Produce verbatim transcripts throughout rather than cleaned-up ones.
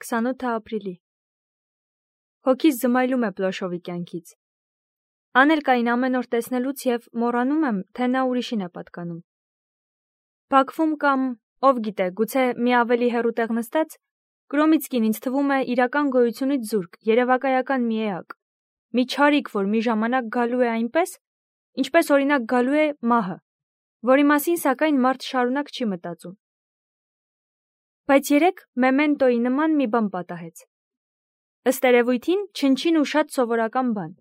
քսանութ ապրիլի։ Հոգիս զմայլում է Պլոշովի կյանքից։ Անելկային ամեն օր տեսնելուց եւ մոռանում եմ, թե նա ուրիշին է պատկանում։ Բաքվում կամ, ով գիտե, գուցե մի ավելի հեռու տեղ նստած, Կրոմիցկին ինձ թվում է իրական գոյությունից զուրկ, երևակայական մի էակ, մի չարիք, որ մի ժամանակ գալու է այնպես, ինչպես օրինակ գալու է մահը, որի մասին սակայն մարդ շարունակ չի մտածում։ Բայց երեկ Մեմենտոյի նման մի բան պատահեց։ Ըստ երևույթին չնչին ու շատ սովորական բան։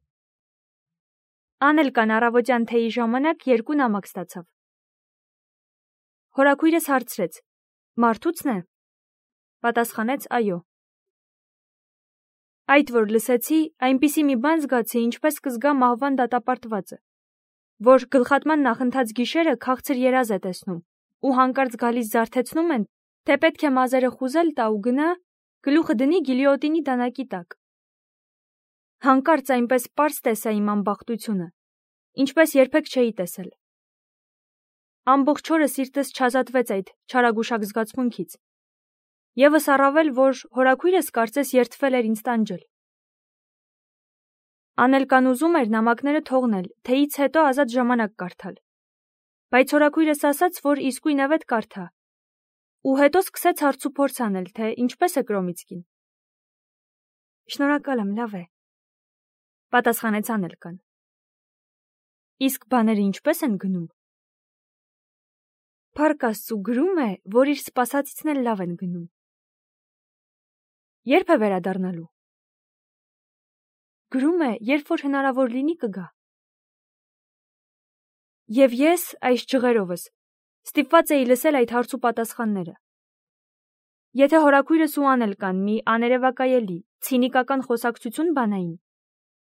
Անելկան առավոտյան թեյի ժամանակ երկու նամակ ստացավ։ Հորաքույրս հարցրեց. Մարդուցն է։ Պատասխանեց այո։ Այդ որ լսեցի, այնպիսի մի բան զգացի, ինչպես կզգա մահվան դատապարտվածը, որ գլխատման նախընթաց գիշերը քաղցր երազ է տեսնում ու հանկարծ գալիս զարթեցնում են, թե պետք է մազերը խուզել տա ու գնա, գլուխը դնի գիլյոտինի դանակի տակ։ Հանկարծ այնպես պարզ տեսա իմ անբախտությունը, ինչպես երբեք չէի տեսել։ Ամբողջ օրը սիրտս չազատվեց այդ չարագուշակ զգացմունքից։ Եվս առավել, որ հորաքույրս կարծես երդվել էր ինձ տանջել։ Անելկան ուզում էր նամակները թողնել, թեյից հետո ազատ ժամանակ կարդալ։ Բայց հորաքույրս ասաց, որ իսկույնևեթ կարդա։ Ու հետո սկսեց հարցուփորձ անել, թե ինչպես է Կրոմիցկին։ Շնորհակալ եմ, լավ է, պատասխանեց Անելկան։ Իսկ բաները ինչպես են գնում։ Փառք Աստծու, գրում է, որ իր սպասածիցն էլ լավ են գնում։ Երբ է վերադառնալու։ Գրում է, երբ որ հնարավոր լինի կգա։ Եվ ես, այս ջղերովս, ստիպված էի լսել այդ հարցու պատասխանները։ Եթե հորաքույրս ու Անելկան մի աներևակայելի, ցինիկական խոսակցություն բանային,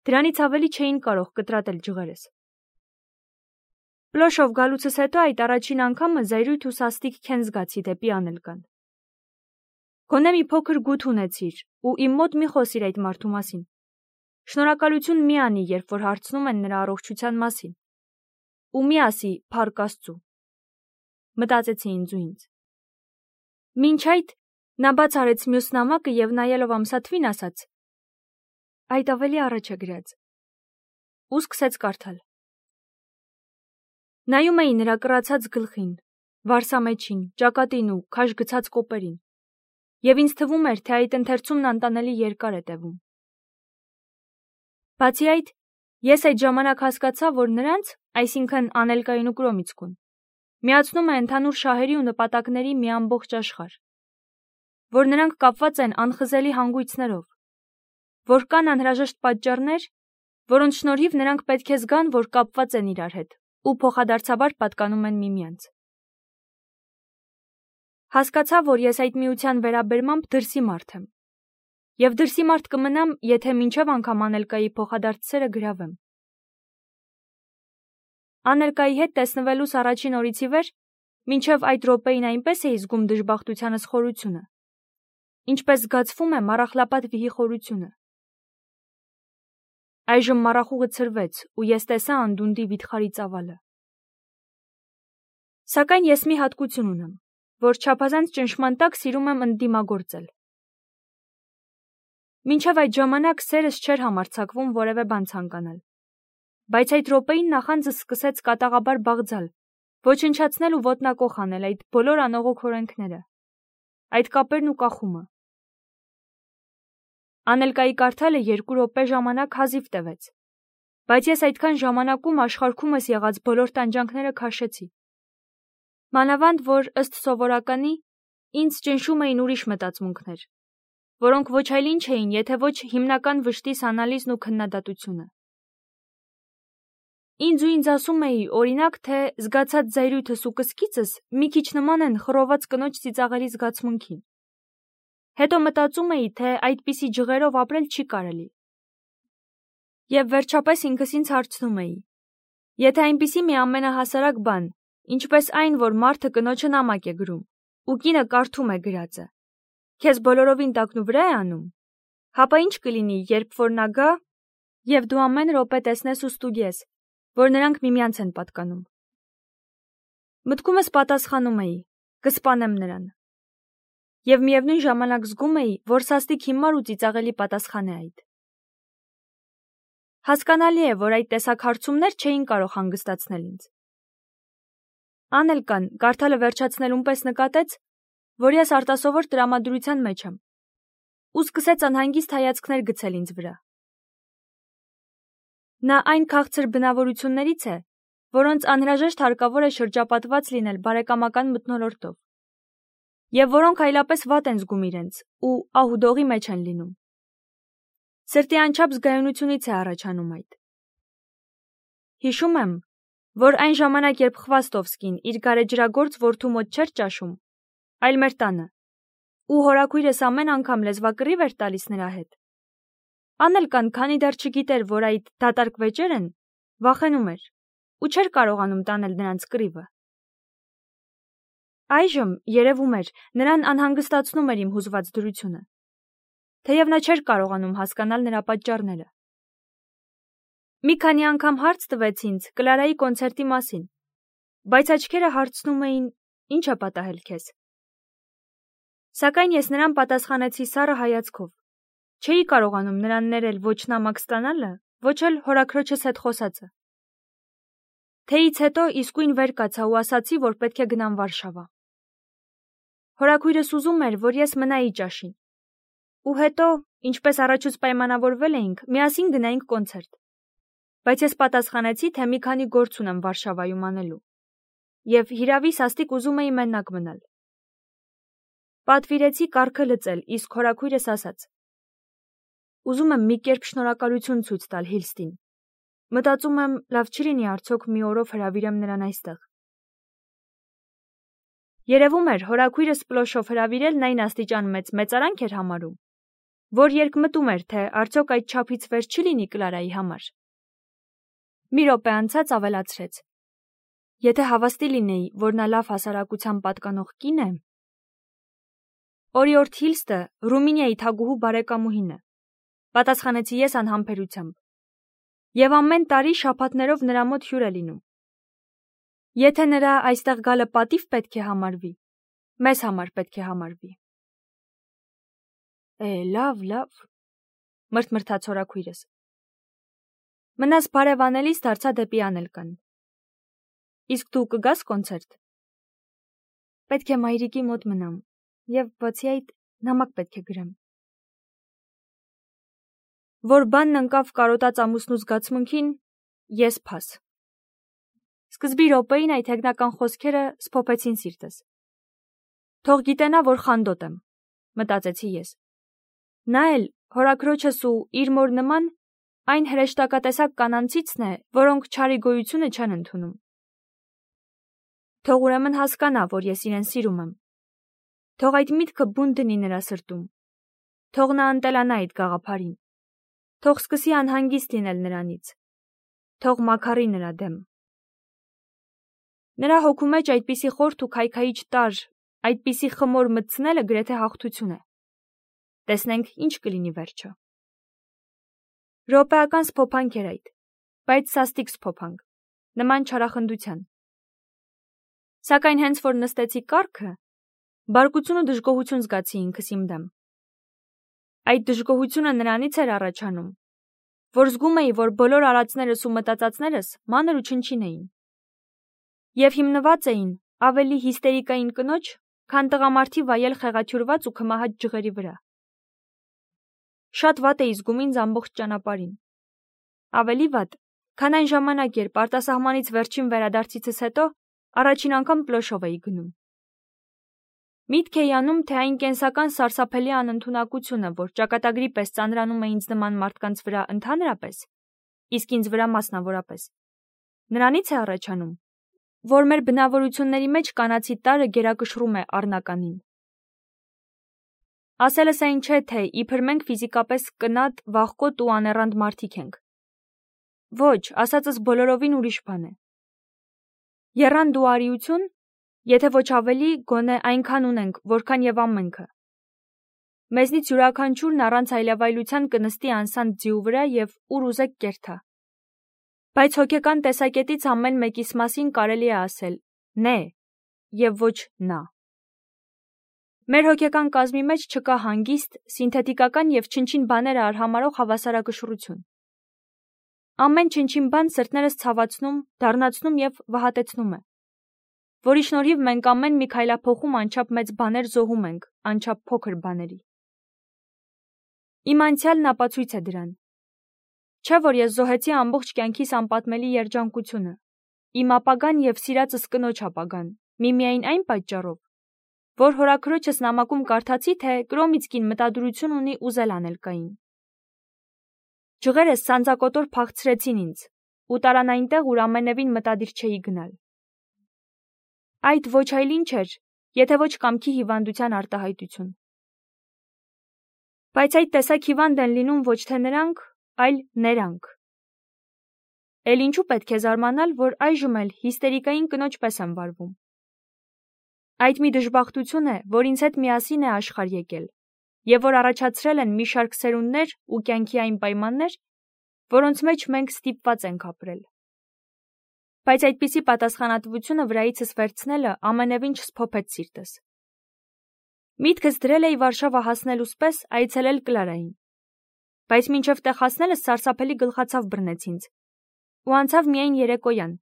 դրանից ավելի չէին կարող կտրատել ջղերս։ Պլոշով գալուցս հետո այդ առաջին անգամը զայրույթ ու սաստիկ քեն զգացի դեպի Անելկան։ Գոնե մի փոքր գութ ունեցիր ու իմ մոտ մի խոսիր այդ մարդու մասին։ Շնորհակալություն մի անի, երբ որ հարցնում են նրա առողջության մասին։ Ու մի ասի փառք Աստծու։ Մտածեցի ինձ ու ինձ։ Մինչ այդ նա բաց արեց մյուս նամակը եւ նայելով ամսաթվին ասաց. Այդ ավելի առաջ է գրած։ Ու սկսեց կարդալ։ Նայում էի նրա կռացած գլխին, վարսամեջին, ճակատին ու քաշ գցած կոպերին։ Եվ ինձ թվում էր, թե այդ ընթերցումն անտանելի երկար է տևում։ Բացի այդ, ես այդ ժամանակ հասկացա, որ նրանց, այսինքն Անելկային ու Կրոմիցկուն, միացնում է ընդհանուր շահերի ու նպատակների մի ամբողջ աշխարհ, որ նրանք կապված են անխզելի հանգույցներով, որ կան անհրաժեշտ պատճառներ, որոնց շնորհիվ նրանք պետք է զգան, որ կապված են իրար հետ ու փոխադարձաբար պատկանում են միմյանց։ Հասկացա, որ ես այդ միության վերաբերմամբ դրսի մարդ եմ, եւ դրսի մարդ կմնամ, եթե մինչև անգամ Անելկայի փոխադարձ սերը գրավեմ։ Անելկայի հետ տեսնվելուս առաջին օրից ի վեր, մինչև այդ րոպեին այնպես էի զգում դժբախտությանս խորությունը, ինչպես զգացվում է մառախլապատ վիհի խորությունը։ Այժմ մառախուղը ցրվեց ու ես տեսա անդունդի վիթխարի ծավալը։ Սակայն ես մի հատկություն ունեմ, որ չափազանց ճնշման տակ սիրում եմ ընդդիմագործել։ Մինչև այդ ժամանակ սերս չէր համարձակվում որևէ բան ցանկանալ, բայց այդ րոպեին նախանձս սկսեց կատաղաբար բաղձալ, ոչնչացնել ու ոտնակոխ անել այդ բոլոր անողոք օրենքները, այդ կապերն ու կախումը։ Անելկայի կարդալը երկու րոպե ժամանակ հազիվ տևեց, բայց ես այդքան ժամանակում աշխարհքումս եղած բոլոր տանջանքները քաշեցի։ Մանավանդ, որ ըստ սովորականի, ինձ ճնշում էին ուրիշ մտածմունքներ, որոնք ոչ այլ ինչ էին, եթե ոչ հիմնական վշտիս անալիզն ու քննադատությունը։ Ինձ ու ինձ ասում էի, օրինակ, թե զգացած զայրույթս ու կսկիծս մի քիչ նման են խռոված կնոջ ծիծաղելի զգացմունքին։ Հետո մտածում էի, թե այդպիսի ջղերով ապրել չի կարելի։ Եվ վերջապես ինքս ինձ հարցնում էի. եթե այնպիսի մի ամենահասարակ բան, ինչպես այն, որ մարդը կնոջը նամակ է գրում, ու կինը կարդում է գրածը, քեզ բոլորովին տակնուվրա է անում, հապա ինչ կլինի, երբ որ նա գա, եւ դու ամեն րոպե տեսնես ու ստուգես, որ նրանք միմյանց են պատկանում։ Մտքումս պատասխանում էի. կսպանեմ նրան։ Եվ միևնույն ժամանակ զգում էի, որ սաստիկ հիմար ու ծիծաղելի պատասխան է այդ։ Հասկանալի է, որ այդ տեսակ հարցումներ չէին կարող հանգստացնել ինձ։ Անելկան կարդալը վերջացնելուն պես նկատեց, որ ես արտասովոր տրամադրության մեջ եմ, ու սկսեց անհանգիստ հայացքներ գցել ինձ վրա։ Նա այն քաղցր բնավորություններից է, որոնց անհրաժեշտ հարկավոր է շրջապատված լինել բարեկամական մթնոլորտով, և որոնք այլապես վատ են զգում իրենց ու ահուդողի մեջ են լինում։ Սրտի անչափ զգայունությունից է առաջանում այդ։ Հիշում եմ, որ այն ժամանակ, երբ Խվաստովսկին իր գարեջրագործ որդու մոտ չէր ճաշում, այլ մեր տանը, ու հորաքույրս ամեն անգամ լեզվակռիվ էր տալիս նրա հետ, Անելկան, քանի դեռ չգիտեր, որ այդ դատարկ վեճեր են, վախենում էր ու չէր կարողանում տանել նրանց կռիվը։ Այժմ, երևում էր, նրան անհանգստացնում էր իմ հուզված դրությունը, թեև նա չէր կարողանում հասկանալ նրա պատճառները։ Մի քանի անգամ հարց տվեց ինձ Կլարայի կոնցերտի մասին, բայց աչքերը հարցնում էին, ինչ է պատահել քեզ։ Սակայն ես նրան պատասխանեցի սառը հայացքով, չէի կարողանում նրան ներել ոչ նամակ ստանալը, ոչ էլ հորաքրոջս հետ խոսածը։ Թեից հետո իսկույն վեր կացա ու ասացի, որ պետք է գնամ Վարշավա։ Հորաքույրս ուզում էր, որ ես մնայի ճաշին, ու հետո, ինչպես առաջուց պայմանավորվել էինք, միասին գնայինք կոնցերտ, բայց ես պատասխանեցի, թե մի քանի գործ ունեմ Վարշավայում անելու, և հիրավի սաստիկ ուզում էի մենակ մնալ։ Պատվիրեցի կառքը լծել, իսկ հորաքույրս ասաց. ուզում եմ մի կերպ շնորհակալություն ցույց տալ Հիլստին։ Մտածում եմ, լավ չի լինի արդյոք մի օրով հրավիրեմ նրան այստեղ։ Երևում էր, հորաքույրս պլոշով հրավիրելն այն աստիճան մեծ մեծարանք էր համարում, որ երկմտում էր, թե արդյոք այդ չափից վեր չի լինի Կլարայի համար։ Մի րոպե անցած ավելացրեց. Եթե հավաստի լինեի, որ նա լավ հասարակության պատկանող կին է։ Օրիորդ Հիլստը Ռումինիայի թագուհու բարեկամուհին է, պատասխանեցի ես անհամբերությամբ, և ամեն տարի շաբաթներով նրա մոտ հյուր է լինում։ Եթե նրա այստեղ գալը պատիվ պետք է համարվի, մեզ համար պետք է համարվի։ Է, լավ, լավ, մրթմրթաց հորաքույրս։ Մնաս բարևանելիս դարձա դեպի Անելկան։ Իսկ դու կգաս կոնցերտ։ Պետք է մայրիկի մոտ մնամ, և բացի այդ նամակ պետք է գրեմ։ Որ բանն ընկավ կարոտած ամուսնու զգացմունքին, ես փաս։ Սկզբի րոպեին այդ հեգնական խոսքերը սփոփեցին սիրտս։ Թող գիտենա, որ խանդոտ եմ, մտածեցի ես։ Նա էլ, հորաքրոջս ու իր մոր նման, այն հրեշտակատեսակ կանանցիցն է, որոնք չարի գոյությունը չեն ընդունում։ Թող ուրեմն հասկանա, որ ես իրեն սիրում եմ։ Թող այդ միտքը բուն դնի նրա սրտում։ Թող նա ընտելանա այդ գաղափարին։ Թող սկսի անհանգիստ լինել նրանից։ Թող մաքարի նրա դեմ։ Նրա հոգու մեջ այդպիսի խորթ ու քայքայիչ տարր, այդպիսի խմոր մտցնելը գրեթե հաղթություն է։ Տեսնենք, ինչ կլինի վերջը։ Րոպեական սփոփանք էր այդ, բայց սաստիկ սփոփանք, նման չարախնդության։ Սակայն հենց որ նստեցի կառքը, բարկություն ու դժգոհություն զգացի ինքս իմ դեմ։ Այդ դժգոհությունը նրանից էր առաջանում, որ զգում էի, որ բոլոր արածներս ու մտածածներս մանր ու չնչին էին, և հիմնված էին ավելի հիստերիկային կնոջ, քան տղամարդի վայել խեղաթյուրված ու քմահաճ ջղերի վրա։ Շատ վատ էի զգում ինձ ամբողջ ճանապարհին։ Ավելի վատ, քան այն ժամանակ, երբ արտասահմանից վերջին վերադարձիցս հետո առաջին անգամ պլոշով էի գնում։ Միտք էի անում, թե այն կենսական սարսափելի անընդունակությունը, որ ճակատագրի պես ծանրանում է ինձ նման մարդկանց վրա ընդհանրապես, իսկ ինձ վրա մասնավորապես, նրանից է առաջանում, որ մեր բնավորությունների մեջ կանացի տարրը գերակշռում է առնականին։ Ասելս այն չէ, թե իբր մենք ֆիզիկապես կնատ, վախկոտ ու աներանդ մարդիկ ենք։ Ոչ, ասածս բոլորովին ուրիշ բան է։ Եռանդ ու արիություն, եթե ոչ ավելի, գոնե այնքան ունենք, որքան եւ ամենքը։ Մեզնից յուրաքանչյուրն առանց այլավայլության կնստի անսանդ ձիու վրա եւ ուր ուզեք կերթա։ Բայց հոգեկան տեսակետից ամեն մեկիս մասին կարելի է ասել՝ «նե» եւ ոչ «նա»։ Մեր հոգեկան կազմի մեջ չկա հանգիստ, սինթետիկական և չնչին բաները արհամարհող հավասարակշռություն։ Ամեն չնչին բան սրտներս ցավացնում, դառնացնում և վհատեցնում է, որի շնորհիվ մենք ամեն մի քայլափոխում անչափ մեծ բաներ զոհում ենք, անչափ փոքր բաների։ Իմ անցյալն ապացույց է դրան։ Չէ՞ որ ես զոհեցի ամբողջ կյանքիս անպատմելի երջանկությունը, իմ ապագան և սիրածս կնոջ ապագան, միմիայն այն պատճառով, որ հորաքրոջս նամակում կարդացի, թե Կրոմիցկին մտադրություն ունի ուզել անել Կային։ Ջղերս սանձակոտոր փախցրեցին ինձ ու տարան այնտեղ, ուր ամենևին մտադիր չէի գնալ։ Այդ ոչ այլ ինչ էր, եթե ոչ կամքի հիվանդության արտահայտություն։ Բայց այդ տեսակ հիվանդ են լինում ոչ թե նրանք, այլ neրանք։ Էլ ինչու պետք է զարմանալ, որ այժմ էլ հիստերիկային կնոջ պես եմ վարվում։ Այդ մի դժբախտություն է, որ ինձ հետ միասին է աշխարհ եկել, և որ առաջացրել են մի շարք սերունդներ ու կյանքի այն պայմաններ, որոնց մեջ մենք ստիպված ենք ապրել։ Բայց այդպիսի պատասխանատվությունը վրայիցս վերցնելը ամենևին չսփոփեց սիրտս։ Միտքս դրել էի Վարշավա հասնելուց պես այցելել Կլարային, բայց մինչև տեղ հասնելս սարսափելի գլխացավ բռնեց ինձ, ու անցավ միայն երեկոյան,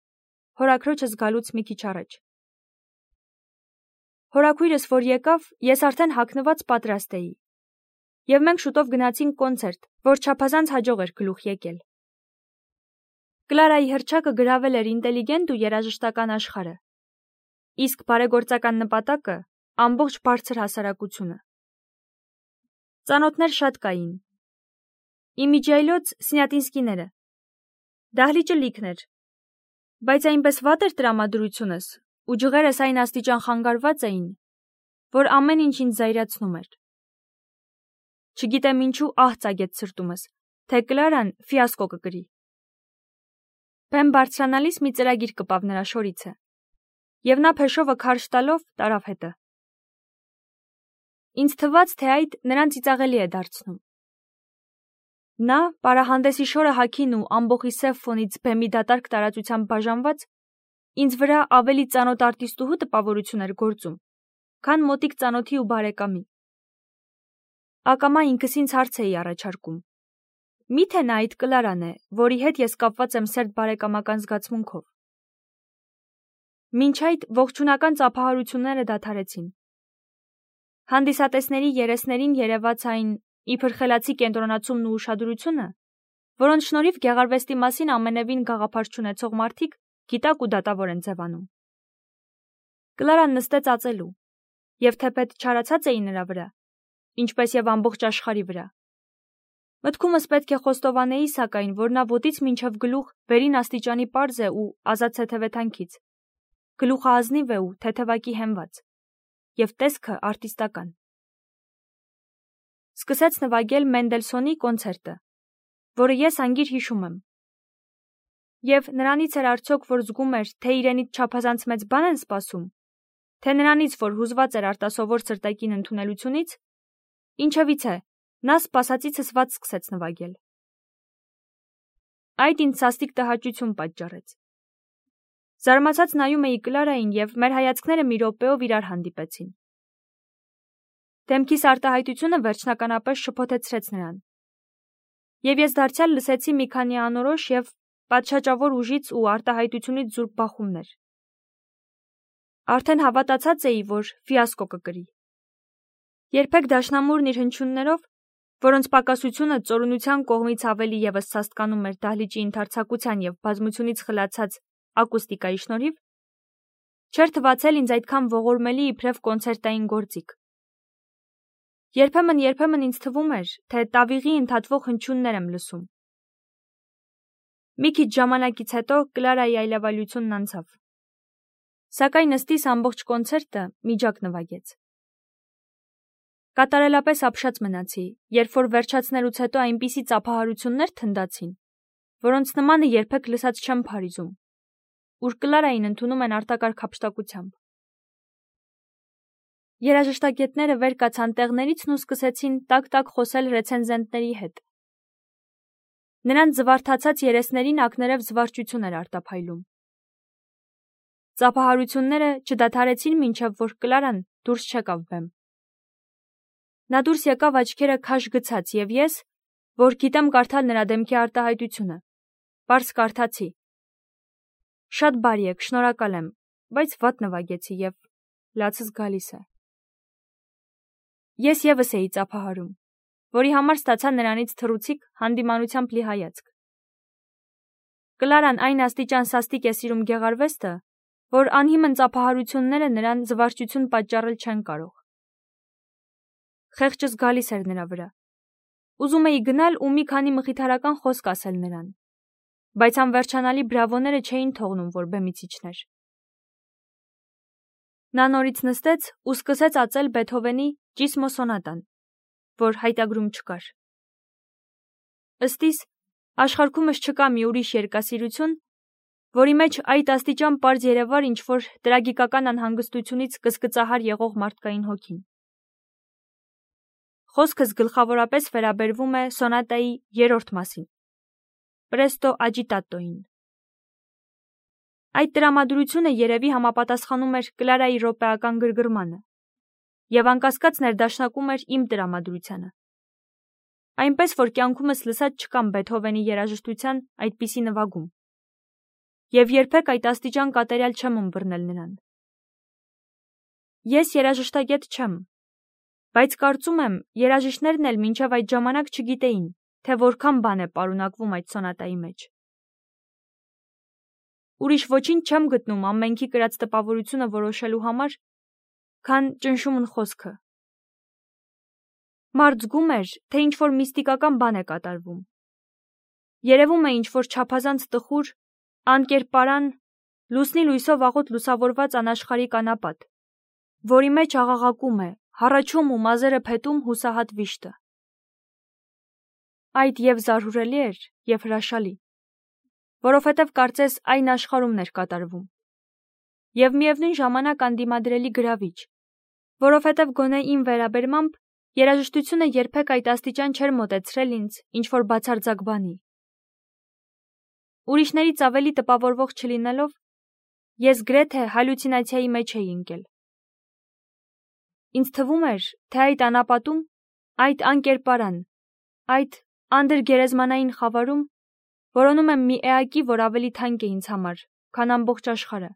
հորաքրոջս գալուց մի քիչ առաջ։ Հորաքույրս որ եկավ, ես արդեն հագնված պատրաստ էի, և մենք շուտով գնացինք կոնցերտ, որ չափազանց հաջող էր գլուխ եկել։ Կլարայի հռչակը գրավել էր ինտելիգենտ ու երաժշտական աշխարհը, իսկ բարեգործական նպատակը ամբողջ բարձր հասարակությունը։ Ծանոթներ շատ կային։ Իմիջիայլոց Սնյատինսկիները։ Դահլիճը լիքն էր, բայց այնպես վատ էր տրամադրությունս, ու ջղերս այն աստիճան խանգարված էին, որ ամեն ինչ ինձ զայրացնում էր։ Չգիտեմ ինչու ահ ծագեց սրտումս, թե Կլարան ֆիասկո կկրի։ Բեմ բարձրանալիս մի ծրագիր կպավ նրա շորիցը, և նա փեշովը քարշ տալով տարավ հետը։ Ինձ թվաց, թե այդ նրան ծիծաղելի է դարձնում։ Նա, պարահանդեսի շորը հագին ու ամբոխի սև ֆոնից բեմի դատարկ տարածությամբ բաժանված, ինձ վրա ավելի ծանոթ արտիստուհու տպավորություն էր գործում, քան մոտիկ ծանոթի ու բարեկամի։ Ակամա ինքս ինձ հարց էի առաջարկում. միթե նա այդ Կլարան է, որի հետ ես կապված եմ սերտ բարեկամական զգացմունքով։ Մինչ այդ ողջունական ծափահարությունները դադարեցին։ Հանդիսատեսների երեսներին երևաց այն իբր խելացի կենտրոնացումն ու ուշադրությունը, որոնց շնորհիվ գեղարվեստի մասին ամենևին գաղափար չունեցող մարդիկ գիտակ ու դատավոր են ձևանում։ Կլարան նստեց ածելու, և թեպետ չարացած էի նրա վրա, ինչպես և ամբողջ աշխարհի վրա։ Մտքումս պետք է խոստովանեի, սակայն, որ նա ոտից մինչև գլուխ վերին աստիճանի պարզ է ու ազատ թեթևեթանքից, գլուխը ազնիվ է ու թեթևակի հենված, և տեսքը արտիստական։ Սկսեց նվագել Մենդելսոնի կոնցերտը, որը ես անգիր հիշում եմ։ Եվ նրանից էր արդյոք, որ զգում էր, թե իրենից չափազանց մեծ բան են սպասում, թե նրանից, որ հուզված էր արտասովոր սրտակին ընդունելությունից, ինչևից է, նա սպասածիցս վատ սկսեց նվագել։ Այդ ինձ սաստիկ տհաճություն պատճառեց։ Զարմացած նայում էի Կլարային, և մեր հայացքները մի րոպեով իրար հանդիպեցին։ Դեմքիս արտահայտությունը վերջնականապես շփոթեցրեց նրան, և ես դարձյալ լսեցի մի քանի անորոշ և պատշաճավոր ուժից ու արտահայտությունից զուրկ բախումներ։ Արդեն հավատացած էի, որ ֆիասկո կկրի։ Երբեք դաշնամուրն իր հնչյուններով, որոնց պակասությունը ծորունության կողմից ավելի ևս սաստկանում էր դահլիճի ընդարձակության և բազմությունից խլացած ակուստիկայի շնորհիվ, չէր թվացել ինձ այդքան ողորմելի իբրև կոնցերտային գործիք։ Երբեմն-երբեմն ինձ թվում էր, թե տավիղի ընդհատվող հնչյուններ եմ լսում։ Մի քիչ ժամանակից հետո Կլարայի այլավալությունն անցավ, սակայն ըստիս ամբողջ կոնցերտը միջակ նվագեց։ Կատարելապես ապշած մնացի, երբ որ վերջացնելուց հետո այնպիսի ծափահարություններ թնդացին, որոնց նմանը երբեք լսած չեմ փարիզում, ուր Կլարային ընդունում են արտակարգ հափշտակությամբ։ Երաժշտագետները վեր կացան տեղներիցն ու սկսեցին տակ-տակ խոսել ռեցենզենտների հետ։ Նրանց զվարթացած երեսներին ակներև զվարճություն էր արտափայլում։ Ծափահարությունները չդադարեցին մինչև որ Կլարան դուրս չեկավ բեմ։ Նա դուրս եկավ աչքերը քաշ գցած, եւ ես, որ գիտեմ կարդալ նրա դեմքի արտահայտությունը, պարզ կարդացի. «Շատ բարի եք, շնորհակալ եմ, բայց վատ նվագեցի եւ լացս գալիս է»։ Ես եւս էի ծափահարում, որի համար ստացա նրանից թռուցիկ հանդիմանությամբ լի հայացք։ Կլարան այն աստիճան սաստիկ է սիրում գեղարվեստը, որ անհիմն ծափահարությունները նրան զվարճություն պատճառել չեն կարող։ Խեղճս գալիս էր նրա վրա։ Ուզում էի գնալ ու մի քանի մխիթարական խոսք ասել նրան, բայց անվերջանալի բրավոները չէին թողնում, որ բեմից իջներ։ Նա նորից նստեց ու սկսեց ածել Բեթհովենի Ճիսմո սոնատան, որ հայտագրում չկար։ Ըստ իս, աշխարհումս չկա մի ուրիշ երգասիրություն, որի մեջ այդ աստիճան պարզ երևար ինչ-որ տրագիկական անհանգստությունից կսկծահար եղող մարդկային հոգին։ Խոսքս գլխավորապես վերաբերվում է սոնատայի երրորդ մասին՝ Պրեստո աջիտատոին։ Այդ տրամադրությունը երևի համապատասխանում էր Կլարայի րոպեական գրգռմանը եւ անկասկած ներդաշնակում էր իմ տրամադրությանը։ Այնպես որ կյանքումս լսած չկամ Բեթհովենի երաժշտության այդպիսի նվագում, եւ երբեք այդ աստիճան կատարյալ չեմ ըմբռնել նրան։ Ես երաժշտագետ չեմ, բայց կարծում եմ, երաժիշտներն էլ մինչև այդ ժամանակ չգիտեին, թե որքան բան է պարունակվում այդ սոնատայի մեջ։ Ուրիշ ոչինչ չեմ գտնում ամենքի կրած տպավորությունը որոշելու համար, քան ճնշումն խոսքը։ Մարդ զգում էր, թե ինչ-որ միստիկական բան է կատարվում։ Երևում է ինչ-որ չափազանց տխուր, անկերպարան, լուսնի լույսով աղոտ լուսավորված անաշխարհիկ անապատ, որի մեջ աղաղակում է, հառաչում ու մազերը փետում հուսահատ վիշտը։ Այդ եւ զարհուրելի էր, եւ հրաշալի, որովհետև կարծես այն աշխարհումն էր կատարվում, եւ միևնույն ժամանակ անդիմադրելի գրավիչ, որովհետև գոնե իմ վերաբերմամբ երաժշտությունը երբեք այդ աստիճան չէր մոտեցրել ինձ ինչ-որ բացարձակ բանի։ Ուրիշներից ավելի տպավորվող չլինելով, ես գրեթե հալյուցինացիայի մեջ էի ընկել։ Ինձ թվում էր, թե այդ անապատում, այդ անկերպարան, այդ անդրգերեզմանային խավարում որոնում եմ մի էակի, որ ավելի թանկ է ինձ համար, քան ամբողջ աշխարհը,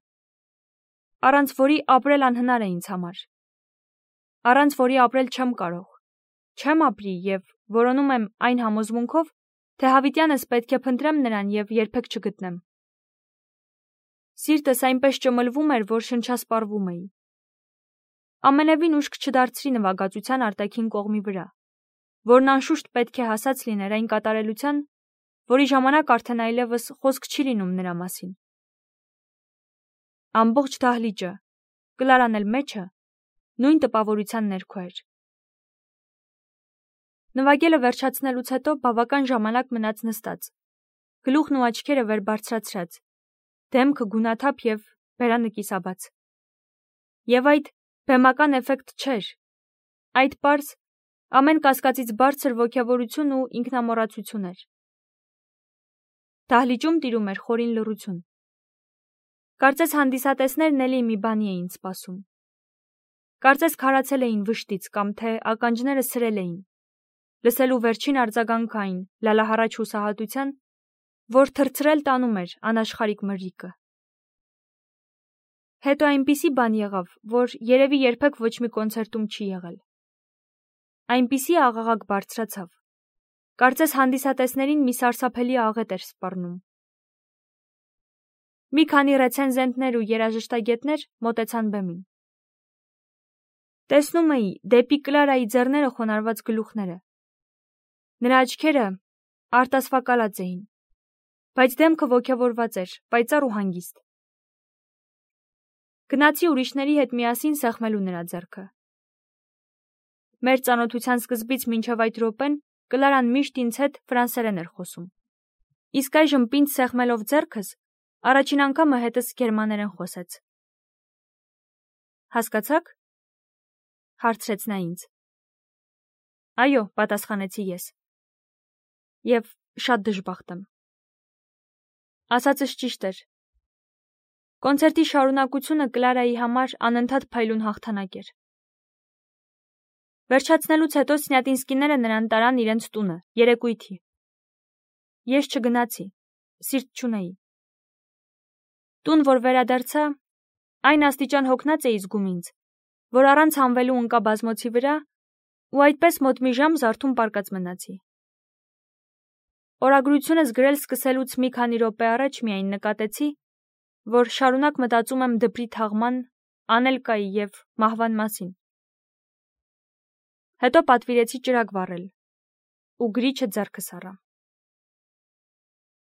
առանց որի ապրել անհնար է ինձ համար, առանց որի ապրել չեմ կարող, չեմ ապրի եւ որոնում եմ այն համոզմունքով, թե հավիտյանս պետք է փնտրեմ նրան եւ երբեք չգտնեմ։ Սիրտս այնպես ճմլվում էր, որ շնչասպառվում էի։ Ամենևին ուշք չդարձրի նվագածության արտաքին կողմի վրա, որն անշուշտ պետք է հասած լիներ այն կատարելության, որի ժամանակ արդեն այլևս խոսք չի լինում նրա մասին։ Ամբողջ դահլիճը, Կլարան էլ մեջը, նույն տպավորության ներքո էր։ Նվագելը վերջացնելուց հետո բավական ժամանակ մնաց նստած, գլուխն ու աչքերը վեր բարձրացրած, դեմքը գունաթափ եւ բերանը կիսաբաց։ Եվ այդ բեմական էֆեկտ չէր, այդ պարզ, ամեն կասկածից բարձր ոգևորություն ու ինքնամոռացություն էր։ Դահլիճում տիրում էր խորին լռություն։ Կարծես հանդիսատեսներն էլի մի բանի էին սպասում։ Կարծես քարացել էին վշտից կամ թե ականջները սրել էին, լսելու վերջին արձագանքը այն լալահառաչ հուսահատության, որ թրթրել տանում էր անաշխարհիկ մրրիկը։ Հետո այնպիսի բան եղավ, որ երևի երբեք ոչ մի կոնցերտում չի եղել։ Այնպիսի աղաղակ բարձրացավ։ Կարծես հանդիսատեսներին մի սարսափելի աղետ էր սպառնում։ Մի քանի ռեցենզենտներ ու երաժշտագետներ մոտեցան բեմին։ Տեսնում էի դեպի Կլարայի ձեռները խոնարհված գլուխները։ Նրա աչքերը արտասվակալած էին, բայց դեմքը ոգևորված էր, պայծառ ու հանգիստ։ Գնացի ուրիշների հետ միասին սեղմելու նրա ձեռքը։ Մեր ծանոթության սկզբից մինչև այդ րոպեն Կլարան միշտ ինձ հետ ֆրանսերեն էր խոսում։ Իսկ այժմ պինդ սեղմելով ձեռքս, առաջին անգամը հետս գերմաներեն խոսեց։ Հասկացա՞ք, հարցրեց նա ինձ։ Այո, պատասխանեցի ես։ Եվ շատ դժբախտ եմ։ Ասածս ճիշտ էր։ Կոնցերտի շարունակությունը Կլարայի համար անընդհատ փայլուն հաղթանակ էր։ Վերջացնելուց հետո Սնյատինսկիները նրան տարան իրենց տունը, երեկույթի։ Ես չգնացի, սիրտ չունեի։ Տուն, որ վերադարձա, այն աստիճան հոգնած էի զգում ինձ, որ առանց հանվելու ընկա բազմոցի վրա ու այդպես մոտ մի ժամ զարթում պառկած մնացի։ Օրագրությունս գրել սկսելուց մի քանի րոպե առաջ միայն նկատեցի, որ շարունակ մտածում եմ դպրի թաղման, Անելկայի և մահվան մասին։ Հետո պատվիրեցի ճրագ վառել ու գրիչը ձեռքս առա։